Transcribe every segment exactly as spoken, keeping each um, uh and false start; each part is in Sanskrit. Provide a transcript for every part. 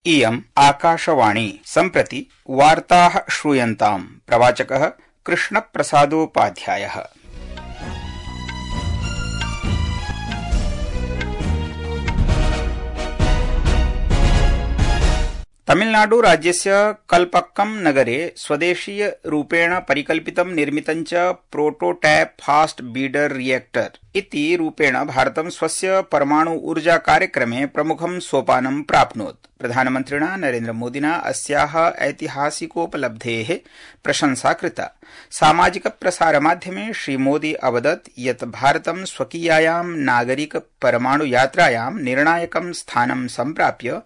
इयम् आकाशवाणी सम्प्रति वार्ताः श्रूयन्ताम्। प्रवाचकः कृष्णप्रसादोपाध्यायः। तमिलनाडु राज्यस्य कल्पक्कम नगरे स्वदेशीय रूपेण परिकल्पितं निर्मितं च प्रोटोटाइप फास्ट ब्रीडर रिएक्टर इति रूपेण भारतं स्वस्य परमाणु ऊर्जा कार्यक्रमे प्रमुखं सोपानं प्राप्नोत्। प्रधानमन्त्रिणा नरेन्द्र मोदिना अस्याः ऐतिहासिकोपलब्धेः प्रशंसा कृता। सामाजिक प्रसार माध्यमे श्रीमोदी अवदत् यत् भारतं स्वकीयायां नागरिक परमाणु यात्रायां निर्णायकं स्थानं सम्प्राप्य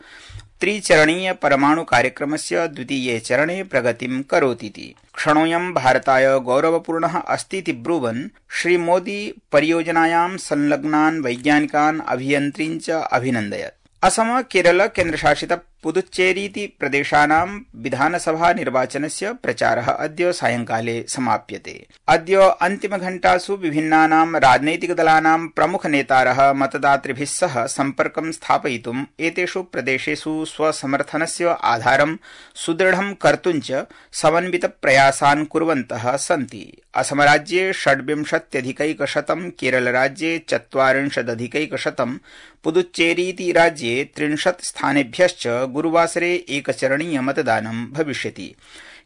त्रिचरणीय परमाणु कार्यक्रमस्य द्वितीये चरणे प्रगतिं करोतीति। क्षणोऽयं भारताय गौरवपूर्णः अस्तीति ब्रुवन् श्रीमोदी परियोजनायां संलग्नान् वैज्ञानिकान् अभियन्त्रीन् च अभिनन्दयत्। असम केरल केन्द्रशासित पुदुच्चेरीति प्रदेशानां विधानसभा निर्वाचनस्य प्रचारः अद्य सायंकाले समाप्यते। अद्य अन्तिमघण्टासु विभिन्नानां राजनैतिकदलानां प्रमुखनेतारः मतदातृभिः सह सम्पर्कं स्थापयितुम् एतेषु प्रदेशेषु स्वसमर्थनस्य आधारं सुदृढं कर्तुं च समन्वितप्रयासान् कुर्वन्तः सन्ति। असमराज्ये षड्विंशत्यधिकैकशतं, केरलराज्ये चत्वारिंशदधिकैकशतं, पुदुच्चेरीति राज्ये त्रिंशत् स्थानेभ्यश्च गुरुवासरे एकचरणीय मतदानं भविष्यति।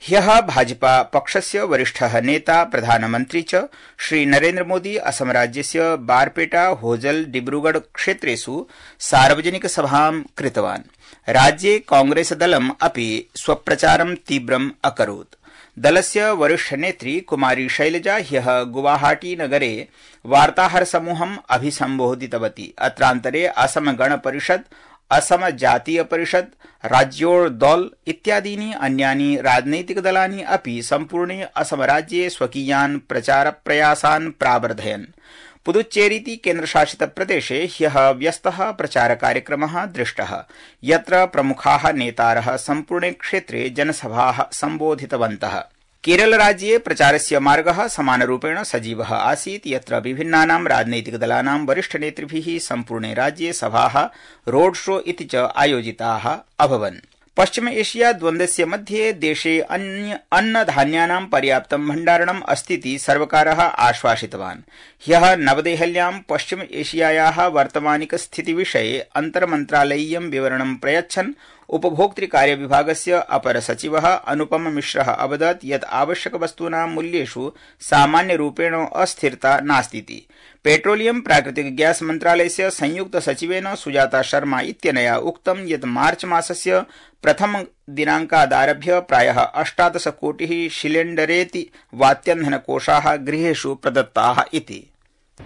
ह्यः भाजपा पक्षस्य वरिष्ठः नेता प्रधानमन्त्री च श्री नरेन्द्र मोदी असमराज्यस्य बारपेटा, होजल, डिब्रूगढ़ क्षेत्रेषु सार्वजनिकसभां कृतवान्। राज्ये कांग्रेसदलम् अपि स्वप्रचारं तीव्रम् अकरोत्। दलस्य वरिष्ठनेत्री कुमारी शैलजा ह्यः गुवाहाटी नगरे वार्ताहरसमूहम् अभिसम्बोधितवती। अत्रान्तरे असम गण परिषद, असम जातीय परिषद, राज्योदल इत्यादीनि अन्यानि राजनैतिकदलानि अपि सम्पूर्णे असमराज्ये स्वकीयान् प्रचारप्रयासान् प्रावर्धयन्। पुदुच्चेरीति केन्द्रशासित प्रदेशे ह्यः व्यस्तः प्रचारकार्यक्रमः दृष्टः, यत्र प्रमुखाः नेतारः सम्पूर्णे क्षेत्रे जनसभाः सम्बोधितवन्तः। केरलराज्ये प्रचारस्य मार्गः समानरूपेण सजीवः आसीत्, यत्र विभिन्नानां राजनैतिकदलानां वरिष्ठनेतृभिः सम्पूर्णे राज्ये सभाः, रोड शो इति च आयोजिताः अभवन्। पश्चिम एशिया द्वन्द्वस्य मध्ये देशे अन्नधान्यानां पर्याप्तं भण्डारणम् अस्तीति सर्वकारः आश्वासितवान्। ह्यः नवदेहल्यां पश्चिम एशियायाः वर्तमानिकस्थितिविषये अन्तर्मन्त्रालयीयं विवरणं प्रयच्छन् उपभोक्तृकार्यविभागस्य अपर सचिवः अनुपम मिश्रः अवदत् यत् आवश्यकवस्तूनां मूल्येषु सामान्यरूपेण अस्थिरता नास्तीति। पेट्रोलियम प्राकृतिक गैस मन्त्रालयस्य संयुक्त सचिवेन सुजाता शर्मा इत्यनया उक्तं यत् मार्च मासस्य प्रथम दिनांकादारभ्य प्रायः अष्टादश कोटिः सिलेण्डरेति वात्यन्धनकोषाः गृहेषु प्रदत्ताः इति।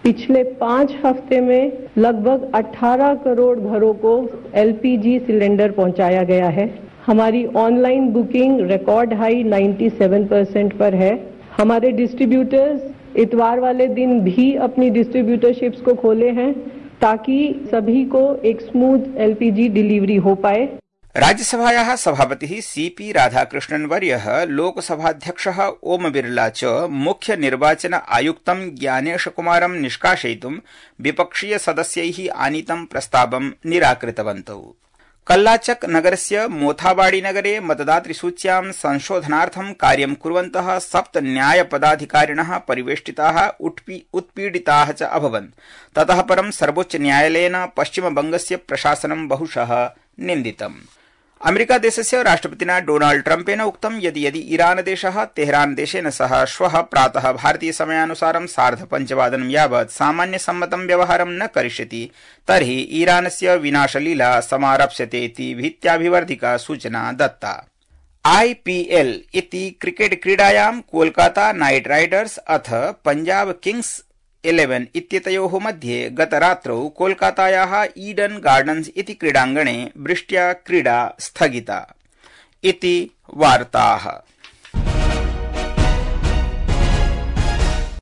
पिछले पाँच हफ्ते में लगभग अठारह करोड़ घरों को एलपीजी सिलेंडर पहुंचाया गया है। हमारी ऑनलाइन बुकिंग रिकॉर्ड हाई सत्तानवे परसेंट पर है। हमारे डिस्ट्रीब्यूटर्स इतवार वाले दिन भी अपनी डिस्ट्रीब्यूटरशिप्स को खोले हैं ताकि सभी को एक स्मूथ एलपीजी डिलीवरी हो पाए। राज्यसभायाः सभापतिः सीपी राधाकृष्णन् वर्यः, लोकसभाध्यक्षः ओम बिरला च मुख्य निर्वाचन आयुक्तं ज्ञानेश कुमारं निष्कासयितुं विपक्षीय सदस्यैः आनीतं प्रस्तावं निराकृतवन्तौ। कल्लाचक नगरस्य मोथाबाड़ी नगरे मतदातृसूच्यां संशोधनार्थं कार्यं कुर्वन्तः सप्त न्यायपदाधिकारिणः परिवेष्टिताः उत्पीडिताः च अभवन्। ततः परं सर्वोच्च न्यायालयेन पश्चिमबंगस्य प्रशासनं बहुशः निन्दितम्। अमेरिका देशस्य राष्ट्रपतिना डोनाल्ड ट्रम्पेन उक्तं यत् यदि ईरान देशः तेहरान देशेन सह श्वः प्रातः भारतीय समयानुसारं सार्धपञ्चवादनं यावत् सामान्यसम्मतं व्यवहारं न करिष्यति तर्हि ईरानस्य विनाशलीला समारप्स्यते इति भीत्याभिवर्धिका सूचना दत्ता। आईपीएल इति क्रिकेट क्रीडायां कोलकाता नाइट राइडर्स अथ पंजाब किंग्स इलेवन इत्येतयोः मध्ये गतरात्रौ कोलकातायाः ईडन गार्डन्स इति क्रीडाङ्गणे वृष्ट्या क्रीडा स्थगिता इति वार्ताः।